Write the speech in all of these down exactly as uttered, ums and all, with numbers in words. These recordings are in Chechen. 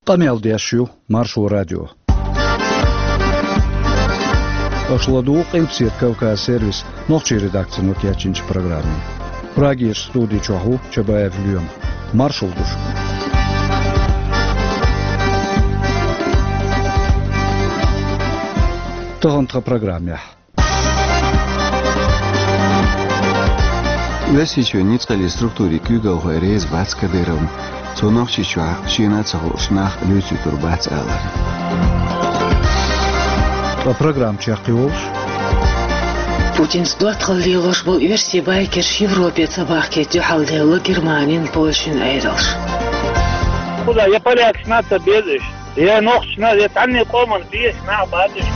Къамел деш ю Маршо радио. Аша ладугӀу Къилбаседа Кавказ сервисан нохчийн редакцино кечйинчу программе. Прагерчу студи чохь ву Чабаев Лоьма. Маршалла ду шуьга. Тахана тхан программехь. Оьрсийчоьнан ницкъаллин структурийн куьйгалхой реза бац Кадыровна. Цо Нохчийчохь шена а ца хууш нах луьйцуьйтур бац алар. Ткъа программа чекхйолуш. Путинца доттагӀалла лелош болу оьрсийн байкерш Европе ца бахкийта дуьхьал делла Германин, Польшин Ӏедалш. Куда я полякаш нах ца беза уьш? Я нохчаш нах, я цхьанне къоман безаш нах бац уьш.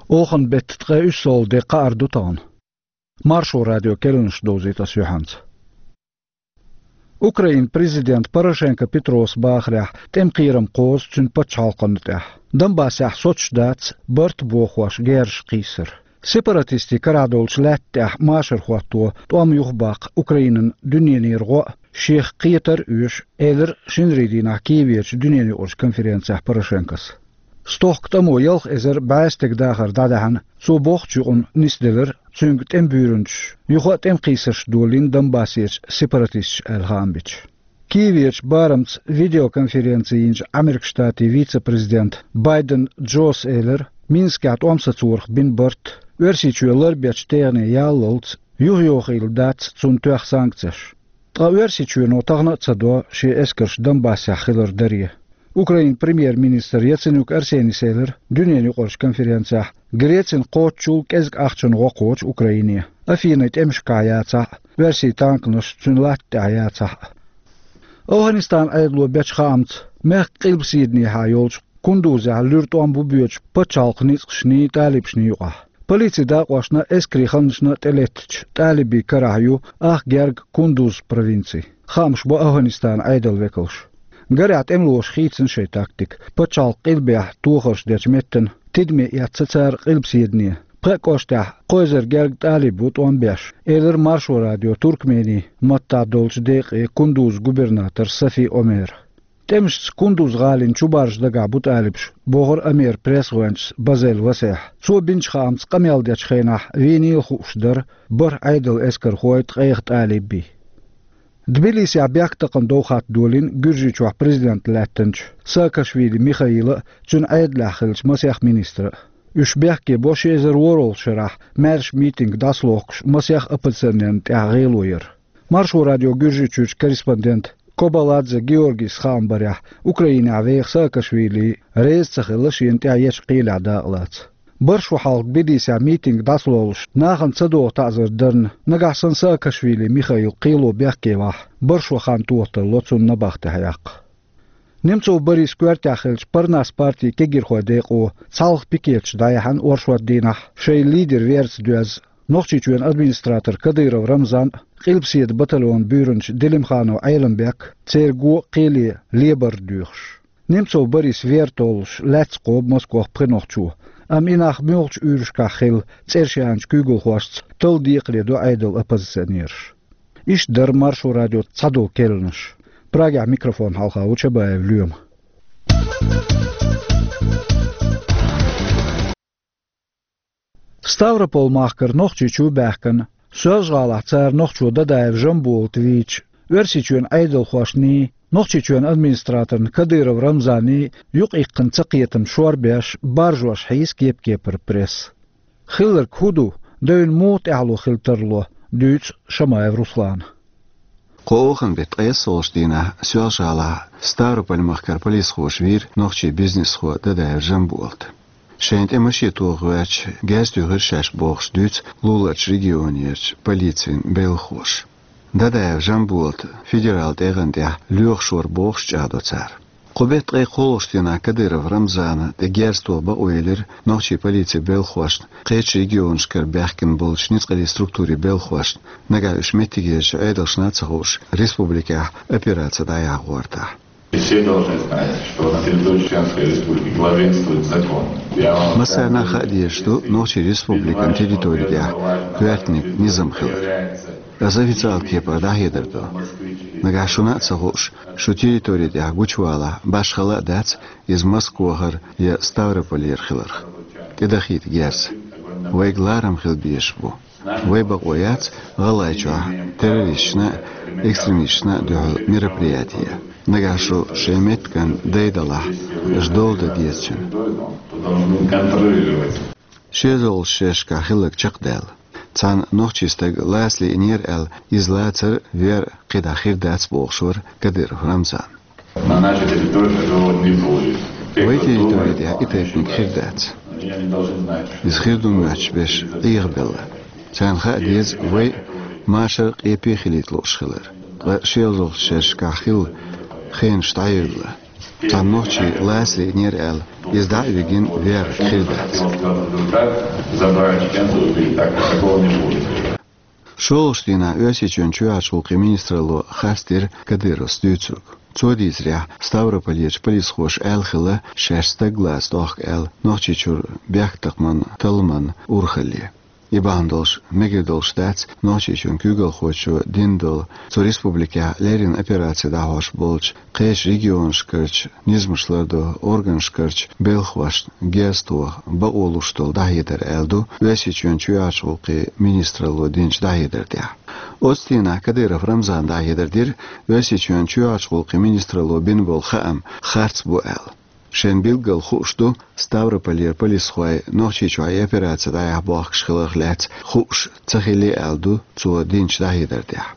Оханан беттан ткъе уьссалгӀа де, кхаар ду тахана. Маршо радион керланаш довзуьйту аса юьхьанца. Украинан президента Порошенко Петрос бахарехь, тӀеман кхерам кхозу цуьнан пачхьалкхана тӀехь. Донбассехь соцуш дац барт бохош герзаш кхийсар. Сепаратистийн карахь долчу лаьтта тӀехь машар хӀотто тӀом юхабаккха Украинан дуьненара гӀо а, шех кхетар а оьшу, элира шинарийн дийнахь Киевехь дуьненаюкъарчу конференцехь Порошенкос. Стохка тӀамо ялх эзар бӀе стеган дахар дӀадаьхьна, цо бохучу юкъана нисделира цуьнга тӀеман буьйранчаш, юха а тӀеман кхийсарш долийна Донбассерчу сепаратисташа аьлла хаам бича. Киевехь барамца видеоконференци йинчу Ӏамеркан Штатийн вице-президента Байден Джос элира, Минскехь тӀом сацорах бина барт, Оьрсийчоь ларбечу техне яллалц, юхайохийла дац цунна тоьхна санкцеш. Ткъа Оьрсийчоьно тахана а ца до шен эскарш Донбассехь хилар даре. Украинан премьер-министр Яценюк Арсенис элира дуьненаюкъарчу конференцехь, Грецин кхоччул кӀезиг ахчанан гӀо кхочу Украине, Афинин тӀемашкахь яцахь а, оьрсийн танканаш цуьнан латта тӀехь яцахь а. АфгӀанистанан Ӏедало бечу хаамца, мехкан къилбаседанехьа йолчу Кундузехь луьра тӀом бу боьдуш пачхьалкхан ницкъашний, талибашний юкъахь. Полицин дакъошна, эскарийн ханнашна тӀелеттачу талибийн карахь ю ах герга Кундуз провинци. Хаамаш бо АфгӀанистанан Ӏедалан векалша. Гарехь тӀемалоша хийцина шайн тактика. Пачхьалкхан къилбехь тохарш дечу меттана тидаме эцна цара къилбаседане. Пхеа кӀоштахь кхо эзар герга талиб ву тӀом беш, элира Маршо радион туркменийн маттахь долчу декъе Кундузан губернатора Сафи Омера. ТӀемашца Кундуз-гӀалин чубаржа дагахь бу талибаш, бохура Омеран пресс-гӀоьнчас Базель Васехь. Цо бинчу хаамца, къамел дечу хенахь вийнийла хууш дара бархӀ Ӏедалан эскархой, ткъех талибий. Тбилисехь бехктакхаман довхатта долийна Гуьржийчохь президент лаьттинчу Саакашвили Михаила а, цуьнан Ӏедалехь хиллачу масех министра а. Уьш бехке бо ши эзар ворхӀалгӀачу шарахь маьрша митинг дӀасалохкуш масех оппозиционерна тӀехь гӀело яр. Маршо радион Гуьржийчуьрчу корреспондента Кобаладзе Георгис хаам барехь, Украинехь веха Саакашвили реза ца хилла шена тӀехь ечу кхелехь дакъалаца. БархӀ шо хьалха Тбилисехь митинг дӀасалолуш нахана ца догӀу таӀзар дарна, нагахь санна Саакашвили Михаил кхело бехке вахь, бархӀ шо хан тоха тарло цунна набахтехь яккха. Немцов Борис коьртехь хиллачу Парнас партин кегийрхойн декъо цхьалха пикеташ дӀаяьхьна оршот дийнахь, шайн лидер верца доьзна, Нохчийчоьнан администратор Кадыров Рамзан а, Къилбаседа батальонан буьйранча Делимханов Ӏеламбек а церан го а, кхеле лебар а доьхуш. Немцов Борис вер толлуш лаьцна кхобу Москох пхи нохчо, амма и нах муьлхачу уьйрашкахь хилла цӀераш яьхначу куьйгалхошца талла декхаре до Ӏедалан оппозиционераш. Иштта дара Маршо радион цхьадолу керланаш. Прагехь микрофон хьалха ву Чабаев Лоьма. Ставрополь-махкара нохчий чу баьхкина, Соьлжа-ГӀалахь цара нохчо Дадаев Жамболат вийча, Оьрсийчоьнан Ӏедалхошний, Нохчийчоьнан администраторна Кадыров Рамзаний юкъаиккхина цакхетам шорбеш, баржош хьийза кеп-кепара пресса. Хилларг хӀун ду, девнан муха тӀаьхьало хила тарло, дуьйцу Шамаев Руслана. Кху оханан беттан ткъессалгӀачу дийнахь Соьлжа-ГӀалахь Ставрополь-махкара полисхоша вийра нохчийн бизнесхо Дадаев Жамболат. Шайна тӀе машен тоха гӀоьртича, герз туьйхира шаьш бохуш, дуьйцу луларчу регионерчу полицин белхахоша. Дадаев Жамболата федералан тӀегӀан тӀехь лоьхуш вара бохуш чӀагӀдо цара. Кху беттан ткъе кхоалгӀачу дийнахь Кадыров Рамзана тӀе герз тоха бакъо елира нохчийн полицин белхахошна, кхечу регионашкара баьхкина болчу ницкъаллин структурийн белхахошна, нагахь уьш меттигерчу Ӏедалшна а ца хууш, республикехь операци дӀаяхьа гӀортахь. И все должны знать, что на территории Чеченской Республики главенствует закон. Я вам Массарна а хаа дезаш ду Нохчийн Республикан территори тӀа коьртаниг, низам хилар. Аз официалан кепара дӀахьедар ду. Нагахь шуна а ца хууш, шу территори тӀа гучавалахь, башхала а дац, иза Москвахара я Ставрополера хиларх. ТӀедахийта герз. Вайга ларам хила безаш бу. Вай бакъо яц ГӀалгӀайчохь террористашна а, экстремисташна а дуьхьал мероприяти ян. Нагахь шу шайн меттиган дай далахь, аша дола дан деза цуьнан. Шен йолчу шерашкахь хилларг чекхдаьлла. Цхьана нохчийн стага лаца лиънера аьлла, иза лацар вер кхидӀа хир дац бохуш вара Кадыров Рамзан. На нашей территории такого не будет. Вай территори тӀехь и тайпаниг хир дац. Иза хир ду моьттуш берш Ӏехабелла. Царна хаа деза вай машар къепе хилийта лууш хилар. Ткъа шен йолчу шерашкахь хилла хенаш дӀайоьлла. Цхьана нохчи лаца лиънера аьлла, иза дӀа а вигина, вер хир дац. ШолгӀачу дийнахь Оьрсийчоьнан чоьхьарчу гӀуллакхийн министралло харцдира Кадыровс дуьйцург. Цо дийцарехь, Ставрополерчу полисхоша аьлла хилла, шаьш стаг лаца дохку аьлла, Нохчийчуьра бехктакхаман талламан урхалле. И бахьана долуш мегар долуш дац Нохчийчоьнан куьйгалхочо дина долу, цу республикехь леррина операци дӀахьош болчу кхечу регионашкарчу низамаш лардо органашкарчу белхахошна герз тоха бакъо луш долу дӀахьедар, аьлла ду Оьрсийчоьнан чоьхьарчу гӀуллакхийн министралло динчу дӀахьедар тӀехь. Оцу дийнахь Кадыров Рамзана дӀахьедар дира, Оьрсийчоьнан чоьхьарчу гӀуллакхийн министралло бина болу хаам харц бу аьлла. Шайна билггал хууш ду Ставрополера полисхой Нохчийчохь и операци дӀаяхьа бохкуш хиларх лаьцна хууш ца хилли, аьлла ду цо динчу дӀахьедар тӀехь.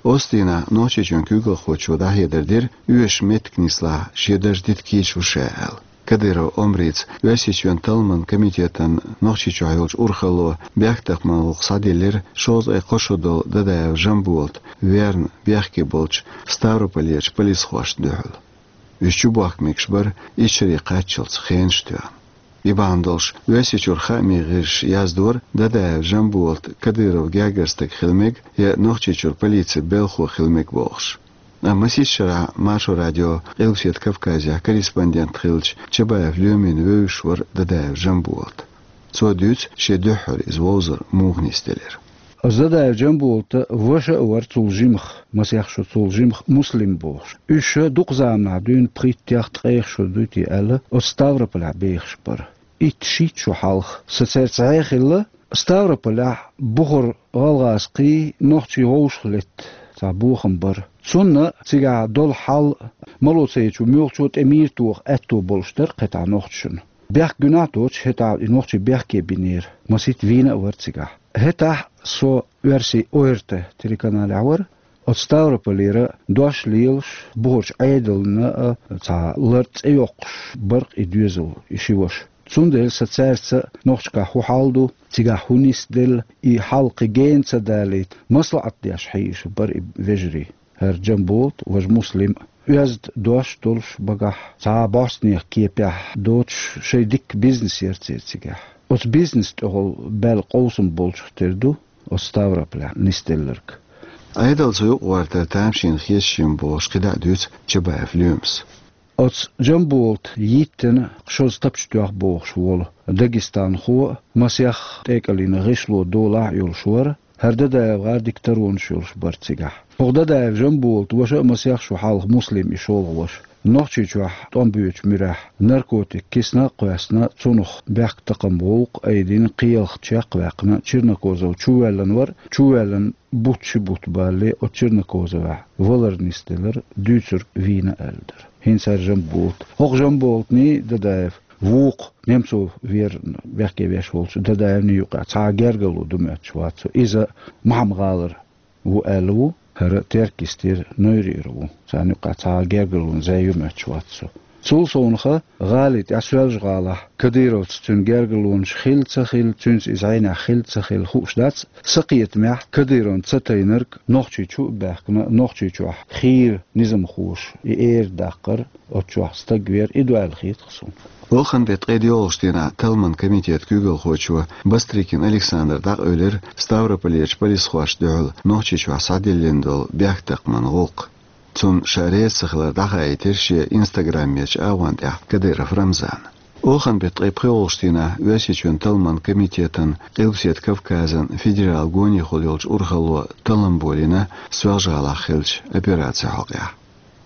Оцу дийнахь Нохчийчоьнан куьйгалхочо дӀахьедар дира оьшуш меттиг нислахь, шен дарж дита кийча ву ша аьлла. Кадыров Омрица Оьрсийчоьнан талламан комитетан Нохчийчохь йолчу урхалло бехктакхаман гӀуллакх схьадиллира шовзткъе кхо шо долу Дадаев Жамболат верна бехке болчу Ставрополерчу полисхошна дуьхьал. Уьш чубохка мегаш бара исс шаре кхаччалц хенаш а тоьхна. И бахьана долуш Оьрсийчуьра хаамийн гӀирсаша яздора, Дадаев Жамболат Кадыровн гергара стаг хила мега я Нохчийчуьра полицин белхахо хила мега бохуш. Амма масех шарахь Маршо радион Къилбаседа Кавказехь корреспондент хиллачу Чабаев Лоьмина вевзаш вара Дадаев Жамболат. Цо дуьйцу шен дуьххьара иза вовзар муха нисделира. Оцу Дадаев Жамболатан ваша а вара цул жимах, масех шо цул жимах, Муслим бохуш. Уьш дукха заманахь дуьйна, пхийтта-ткъех шо дуй те аьлла, оцу Ставрополехь бехаш бара. Итт-шийтта шо хьалха сан цаьрца цхьаьна хилла, Ставрополехь бухара гӀалгӀазкхий, нохчий вовшахлетта цхьа бохам бара. Цунна цигахь долу хьал мало ца йича, муьлххачо тӀе мийра тоха аьтто болуш дара кхетахь нохчашна. Бехк гуьнахь а доцуш, хӀетахь и нохчий бехке бинера, масийтта вийна а вара цигахь. ХӀетахь со оьрсийн ОРТ телеканалехь вара, оцу Ставрополера дош лелаш, бухарчу Ӏедална а цхьа лар цӀе йоккхуш бара-кх и доьзал, и ши ваша. Цундела сан цаьрца нохчашкахь хӀун хьал ду, цигахь хӀун нисделла, и хьал кхин гена ца далийта, маслаӀат деш хьийзаш бара и вежарий. ХӀара Жамболат, важа Муслим, оьзда дош долуш багахь, цхьа бӀостанехан кепехь доцуш, шайн дикка бизнес яра церан цигахь. Оцу бизнесан тӀехула баьлла къовсам болчух тера ду оцу Ставрополехь нисделларг. Ӏедал цу юкъа гӀортар тамашийна хезаш ю бохуш кхидӀа а дуьйцу Чабаев Лоьмас. Оцу Жамболата йиттина кху шозза тапча тоьхна бохуш волу дагестанхо а, масех тӀекӀелина гӀишло долахь а йолуш вара, хӀара Дадаев гӀар дика таронаш йолуш бара цигахь. ХӀокху Дадаев Жамболатан ваша а, масех шо хьалха Муслим, и шолгӀа ваша, Нохчийчохь тӀом боьдучу муьрехь наркотик кисана а кхоьссина, цунах бехктакхаман гӀуллакх айдина, кхелах чекхваьккхина, Чернокозов чувоьллина вара, чувоьллина бутт-ши бутт балале оцу Чернокозовехь валар нисделира, дуьйцург вийна аьлла дара. ХӀинца хӀара Жамболат. ХӀокху Жамболатний, Дадаев, вукху Немцов верна бехке веш волчу Дадаевний юкъахь цхьа а гергарло ду моьттуш вац цо. Иза Мохьман-гӀалара ву аьлла ву, хӀара Теркйистера, Нойрера ву. Царна юкъахь цхьа а гергарлон зӀе ю моьттуш вац цо. Цул совнаха, гӀали тӀехь Соьлжа-ГӀалахь Кадыровца цуьнан гергарлонаш хилла ца хилла, цуьнца иза хьенехь хилла ца хилла хууш дац, сан кхетамехь Кадыровна ца тайнарг Нохчийчу а баьхкина, Нохчийчохь хийра низамхоша и эр даккхар, оцу чохь стаг вер, и ду аьлла хета-кх суна. Вахана беттан ткъе доьалгӀачу дийнахь Талламан комитетан куьйгалхочо Бастрыкин Александра дӀакъевлира Ставрополерчу полисхошна дуьхьал Нохчийчохь схьадиллина долу бехктакхаман гӀуллакх. Цунна ша реза ца хилар дӀахаийтира шен Instagram-ерчу агӀон тӀехь Кадыров Рамзана. Оханан беттан ткъе пхоьалгӀачу дийнахь Оьрсийчоьнан талламан комитетан Къилбаседа Кавказан федералан гонехула йолчу урхалло таллам болийна Соьлжа-ГӀалахь хиллачу операцин хьокъехь.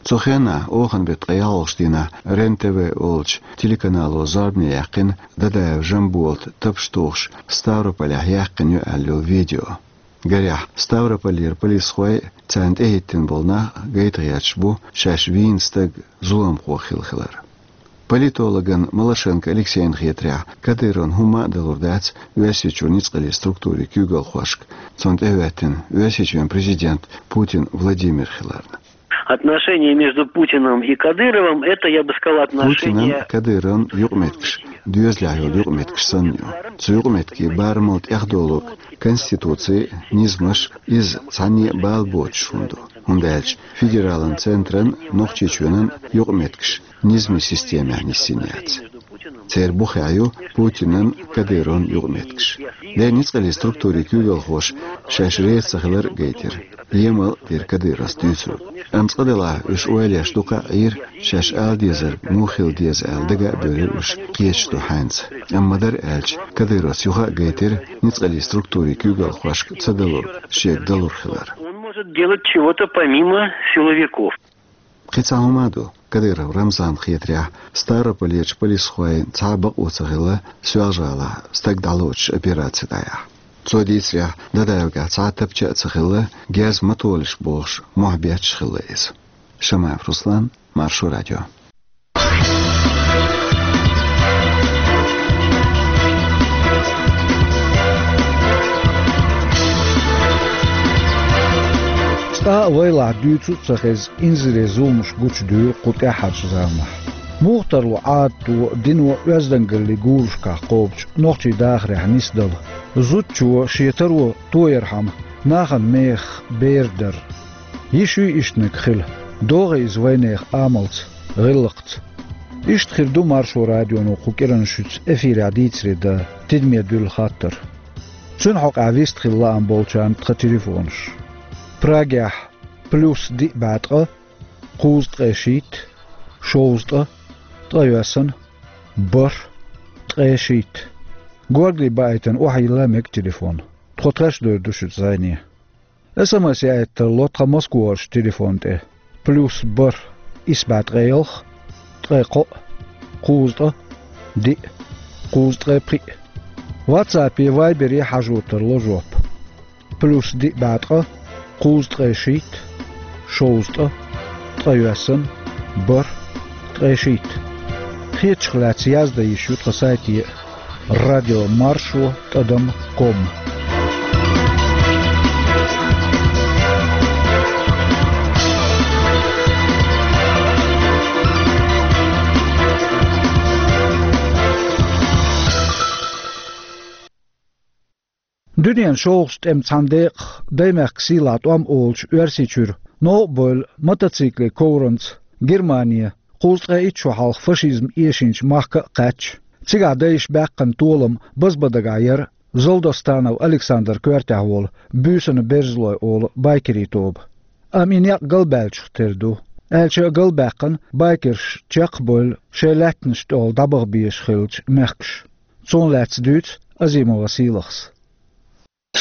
Цу хенахь, оханан беттан ткъе ялхалгӀачу дийнахь, РЕН-ТВ олучу телеканало зорбане яьккхина Дадаев Жамболата тапаш тухуш Ставрополехь яьккхина ю аьлла йолу видео. Гарехь, Ставрополера полисхой а, царна тӀехӀиттина болу нах а гайта гӀерташ бу шаьш вийна стаг зуламхо хилла хилар. Политологна Малашенко Алексейна хетарехь, Кадыровна хӀумма а далур дац Оьрсийчуьра ницкъаллин структурийн куьйгалхошка, цунна тӀехӀоьттина Оьрсийчоьнан президент Путин Владимир хиларна. Отношения между Путиным и Кадыровым, это, я бы сказал, Путинан, отношения Кадыровн юкъаметтигаш доьзалехь йолу юкъаметтигаш санна ю. Цу юкъаметтигийн барамал тӀехдолург Конституци, низамаш, иза цхьанне а бала боцуш хӀума ду, хӀунда аьлча федералан центран, Нохчийчоьнан юкъаметтигаш низамийн системехь нисйина яц. Церан бухехь ю Путинан, Кадыровн юкъаметтигаш. Дера, ницкъаллин структурийн куьйгалхоша шаьш реза ца хилар а гайтира, емал а дира Кадыровс дуьйцург. Амма цкъа-делахь уьш ойла еш дукха а Ӏийра, шаьш ала дезарг муха хила деза аьлла, дага а буьйлира уьш, кхеташ ду хьаьнца. Амма ма-дарра аьлча, Кадыровс юха а гайтира ницкъаллин структурийн куьйгалхошка ца далург шега далур хилар. Он может делать чего-то помимо силовиков. Кхин цхьа хӀума а ду, Кадыров Рамзанна хетарехь, Ставрополерчу полисхойн цхьа а бакъо ца хилла Соьлжа-ГӀалахь стаг дӀалоцучу операци дӀаяхьа. Цо дийцарехь, Дадаевгахь цхьа а тапча а ца хилла, герз ма толаш бохуш, мохь бетташ хилла иза. Шамаев Руслан, Маршо радио. Цкъа а вайлахь дуьйцу а ца хеза, инзаре зуламаш гучудуьйлу кху тӀаьххьарчу заманахь. Муха тарло Ӏадато, дино оьздангаллин гурашкахь кхобучу нохчийн дахарехь нисдала? Зудчо шен таро тоярхьама нахана мехах бер дар. Йиш юй иштаниг хила? ДогӀий иза вайнехан амалца, гӀиллакхца? Иштта хир ду Маршо радионо кху кӀиранан шуьца эфирехь дийцаре дан тидаме дуьллу хаттар. Цуьнан хьокъехь вистхила лаам болчарна тхан телефонаш. Прагехь: плюс диъ бӀе ткъа, кхузткъе шийтта, шовзткъа, ткъайоьсна, бархӀ, ткъе шийтта. Горгали баийтина охьайилла мега телефон. Тхо тхаьш а дойр ду шуьца зӀене. СМС яийта тарло тхан Москварчу телефон тӀе: плюс бархӀ, исс бӀе ткъе ялх, ткъе кхоъ, кхузткъа, диъ, кхузткъе пхиъ. WhatsApp-е, Viber-е хьажо тарло жоп: плюс диъ бӀе ткъа, кхузткъе шийтта, шовзткъа, ткъайоьсна, бархӀ, ткъе шийтта. Хетачух лаьцна яздан йиш ю тхан сайте а: радио маршо тӀадам ком. Дуьненан шолгӀачу тӀеман цхьана декъах, Даймехкан сийлахь тӀом олучу Оьрсийчуьра новкъа бевлла мотоцикле ковранца Германе, кхузткъе итт шо хьалха фашизм эшийначу махка а кхаьчча, цигахь дайша баьккхина толам базбан дагахь яра Залдостанов Александр коьртехь волу Буьйсанан берзалой олу байкерийн тоба. Амма и некъ галбаьллачух тера ду, аьлча а галбаьккхина, байкерш чекхбевлла шайн лаьттанаш тӀехула дӀабаха безаш хиллачу мехкаша. Цунах лаьцна дуьйцу Азимова Сийлахьас.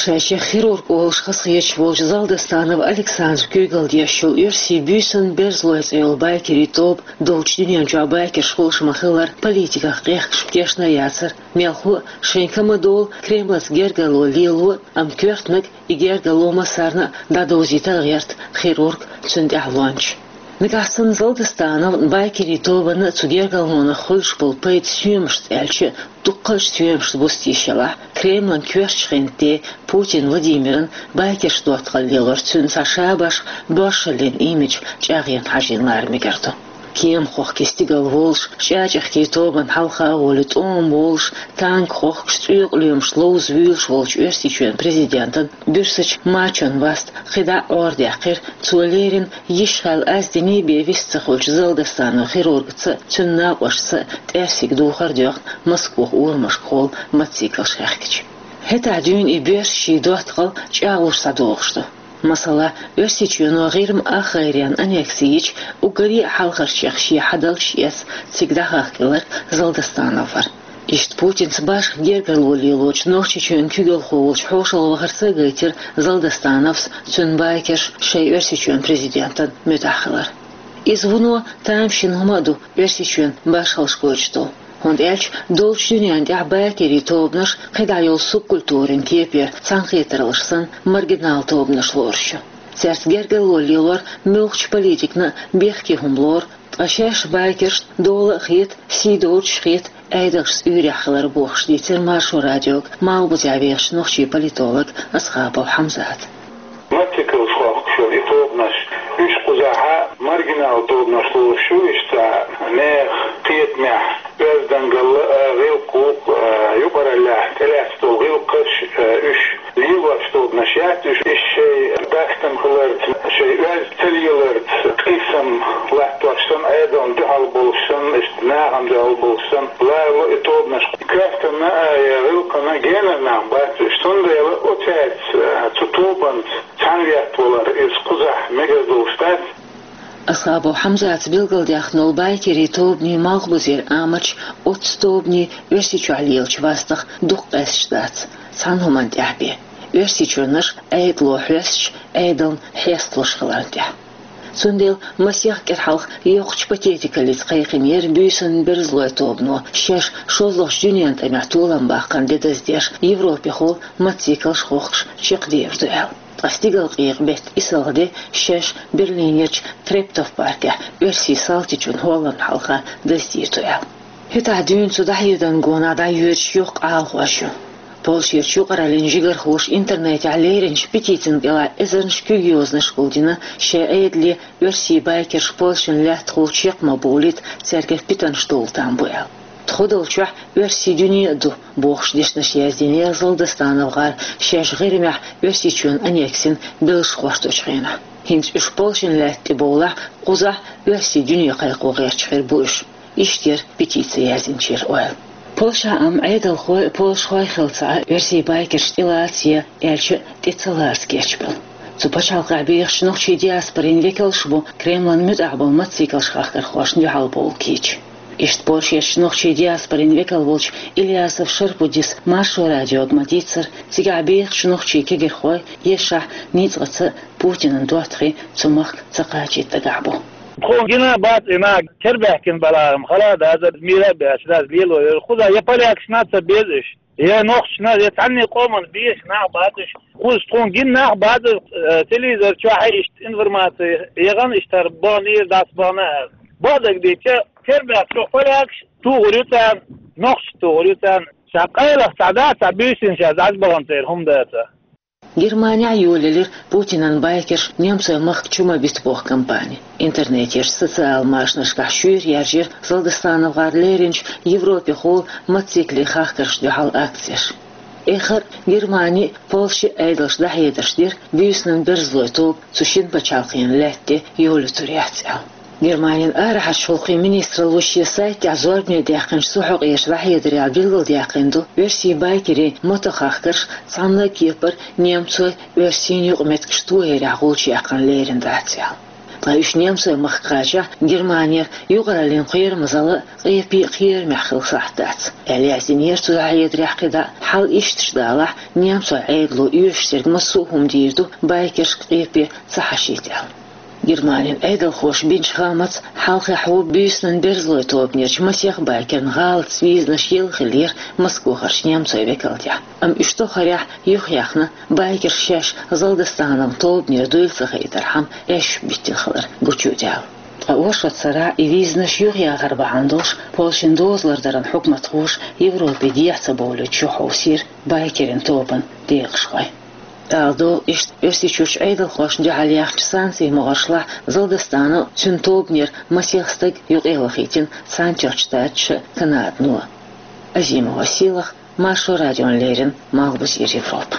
Шайчех хирург олуш хазахеташ волчу Залдостанов Александра куьйгалла деш йолу оьрсийн Буьйсанан берзалой цӀе йолу байкерийн тоба долчу дуьнен чохь байкерш хуьлуш ма-хиллара, политиках къехкаш тешна яцара. Мелхо а, шайн ка ма-долу, Кремлаца гергарло лело а, амма коьртаниг и гергарло массарна а дӀадовзийта гӀерта хирург, цуьнан тӀаьхьалончаш. Нагахь санна Залдостанов байкерийн тобанна а, цу гергарлонах хуьлуш болу пайда соьмашца аьлча а, дуккхалчу соьмашца бустийша елахь, Кремлан коьртачу хентан де Путин Владимиран байкерш доттагӀалла лелор цуьнан цхьа шабаш, боршаллин имидж чӀагӀъян хьажийна лара мегар ду. Кема хохкий стигала волуш, чӀачӀехкийн тобанна хьалха а волий, тӀома волуш, танк хохкуш, цӀоькъа лоьмаш ловза вуьйлуш волчу Оьрсийчоьнан президентан Буьрсачу Мачон васт кхидӀа а Ӏорадаьккхира, цо леррина йиш-хьал аз диний бен вист ца хуьлучу Залдостанов хирургаца а, цуьнан накъосташца а тӀаьрсиг духар а доьхна, Москвахь урамашкахула мотоциклаш хехкича. ХӀетахь дуьйна и боьрша ший доттагӀалла чӀагӀлуш схьадогӀуш ду. Масала, Оьрсийчоьно ГӀирма ах гӀайре аннекси йича, уггаре а хьалхарчех ше хьадалча эца цига дӀахахкар Залдастанов вар. Иштта Путинца башха гергарло лелочу Нохчийчоьнан куьйгалхо волчу хьошалгӀа вахарца а гайтира Залдастановс, цуьнан байкерш шайн Оьрсийчоьнан президентан муьтӀахь хилар. Иза вуно тамашийна хӀума а ду Оьрсийчоьнан башхаллаш гойтуш долу. ХӀунда аьлча долчу дуьненна тӀехь байкерийн тобанаш кхидӀа йолу субкультурин кепара цхьаьнакхетараллаш санна маргинал тобанаш лоруш ю. Цаьрца гергарло лелор муьлххачу политикана а бехке хӀума лору, ткъа шаьш байкершна дола а хета, сий доцуш а хета Ӏедалшца уьйрехь хилар бохуш дийцира Маршо радиога Малхбузехь вехачу нохчийн политолога Асхабов Хьамзата. Маттигаш хохкуш йолу и тобанаш, уьш кхузахь маргинал тобанаш лоруш ю, иштта нехан кхетамехь оьздангалла а, гӀиллакх а, юкъараллехь тӀелаьцна долу гӀиллакхаш а, уьш лелош тобанаш яц, уьш, уьш шайн дастам хиларца, шайн оьзда ца леларца, къийсам латтош санна, Ӏедална дуьхьал болуш санна, иштта нахана дуьхьал болуш санна, лоруш ю и тобанаш. Коьртана а, я гӀиллакхана а генара нах бац уьш, цундела оцаьрца, цу тобанца цхьаьна веттавалар иза кхузахь мегар долуш дац. Асхабов Хьамзата билгалдаьккхина долу байкерийн тобанийн Малхбузера амалш оццу тобанийн Оьрсийчохь лелачу вастах дукха къаьсташ дац, цхьана хӀуманна тӀехь бен. Оьрсийчоьнан Ӏедало хьоьстуш, Ӏедална хьесталуш хиларна тӀехь. Цундела масех кӀира хьалха йоккхачу патетикаллица кхайкхийнера буьйсанан берзалойн тобано шаьш шозлагӀчу дуьненан тӀамехь толам баккхарна де даздеш, европехула мотоциклаш хохкуш чекхдер ду аьлла. Ткъа стигалкъекъа беттан исалгӀа де шаьш Берлинерчу Трептов паркехь оьрсийн салтичун хӀолламна хьалха даздийр ду аьлла. ХӀетахь дуьйна цу дӀахьедарна гонах дӀайоьдуш йоккха Ӏалахош ю. Польшерчу юкъараллин жигархоша интернетехь леринчу петицина кӀелахь эзарнаш куьг йозанаш гулдина, шайн Ӏедале оьрсийн байкерш Польшин лаьттахула чекх ма бовлийта, цаьргара питанаш довла там бу аьлла. Тхо долчохь оьрсийн дуьне а ду, бохуш дешнаш яздинера Залдастанов гӀар шаьш ГӀирмехь Оьрсийчоьнан аннексина белш хӀотточу хенахь. ХӀинца уьш Польшин лаьтта тӀе бовлахь, кхузахь оьрсийн дуьне кхайкхо гӀерташ хир бу уьш. Иштта яра петици яздинчеран ойла. Польшахь а Ӏедалхой а, польшахой а хилла ца Ӏа, оьрсийн байкерш тӀелаца я аьлча а тӀе ца лаца гечбелла. Цу пачхьалкхехь бехачу нохчийн диаспорин векалш а бу Кремлан муьтӀахь болу мотоциклаш хахкархошна дуьхьал бовла кийча. Иштта Польшерчу нохчийн диаспорин векал волчу Ильясов Шарпудис Маршо радиога ма-дийццара, цигахь бехачу нохчийн кегийрхой, ешшахь, ницкъаца а Путинан доттагӀий цу махка ца кхачийта дагахь бу. Тхуна гина бац и нах, кербаьхкина балахь-м хала а дазар, мийра а баьчча даза лело йора. Кхузахь я полякашна а ца беза уьш, я нохчашна, я цхьанне къоман беша нах бац уьш. Кхуза тхуна гина нах бац, э, телевизор чохь а иштта информаци яхана, иштта хӀара баханера, дӀасабахана аьлла. Бакъдерг дийцча, кербаьхкачу полякаш тухур ю царна, нохчаш тухур ю царна. Ша къайлаха цхьа дац, цхьа буьйсина ша дӀасабахана церан хӀума дацахь. Германехь а йолаелира Путинан байкерш немцойн махка чу ма бита боху кампани. Интернетерчу социал машанашкахь шуьйра яржира Залдастанов гӀар леринчу Европехула мотоцикле хахкаршна дуьхьал акцеш. Эххар а Германи а, Польши а Ӏедалша дӀахьедарш дира буьйсанан берзалойн тоба цу шина пачхьалкхенан лаьтта тӀе йолуьйтур яц аьлла. Германин арахьарчу гӀуллакхийн министралло шен сайтехь зорбане даьккхинчу цу хьокъехь дӀахьедарехь билгалдаьккхина ду, оьрсийн байкерийн мотохахкарш цхьанна а кепара немцойн, оьрсийн юкъаметтигаш тохарехь гӀулч яьккхина лерина дац аьлла. Ткъа уьш немцойн махка кхачахь, Германера юкъараллин кхерамазалла а, къепе а кхерамехь хила сахьт дац, аьлла яздинера цу дӀахьедарехь кхидӀа. Хьал иштта далахь, немцойн Ӏедало оьшуш дерг массо а хӀума дийр ду байкершка къепе ца хьашийта аьлла. Германин Ӏедалхоша бинчу хаамца, хьалхахь ву буьйсанан берзалойн тобанерчу масех байкерна гӀалатца визанаш елла хиллера Москвахарчу немцойн векалтехь. Амма уьш тохарехь юхаяьхна, байкерш шаьш Залдастановн тобанера дуйла ца хайтархьама, эшшаш биттина хилар гучудаьлла. Ткъа оршот сарахь и визанаш юхаяхар бахьана долуш, Польшин дозалла даран хьукматхоша Европе дехьа ца бовлуьйтуш юхахьовсийра байкерийн тобанан декъашхой. Ала догӀу, иштта Оьрсийчуьрчу Ӏедалхошна дуьхьал яьхначу санкцийн могӀаршлахь Залдастанов а, цуьнан тобанера масех стаг юкъавахийтина Цхьаьнатоьхначу Штаташа а, Канадано а. Азимова Сийлаха, Маршо радиона леррина, Малхбузера Европа.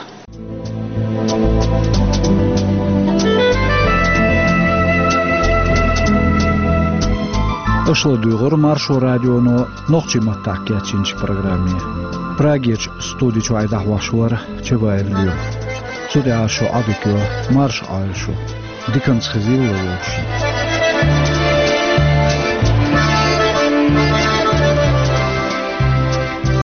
Аша ладуьйгӀира Маршо радионо нохчийн маттахь кечйинчу программе. Прагерчу студи чуьра дӀахьош вара Чабаев Лоьма. Цу тӀехьа шу Ӏадика йо, марша Ӏойла шу, диканца хезийла вовшийн.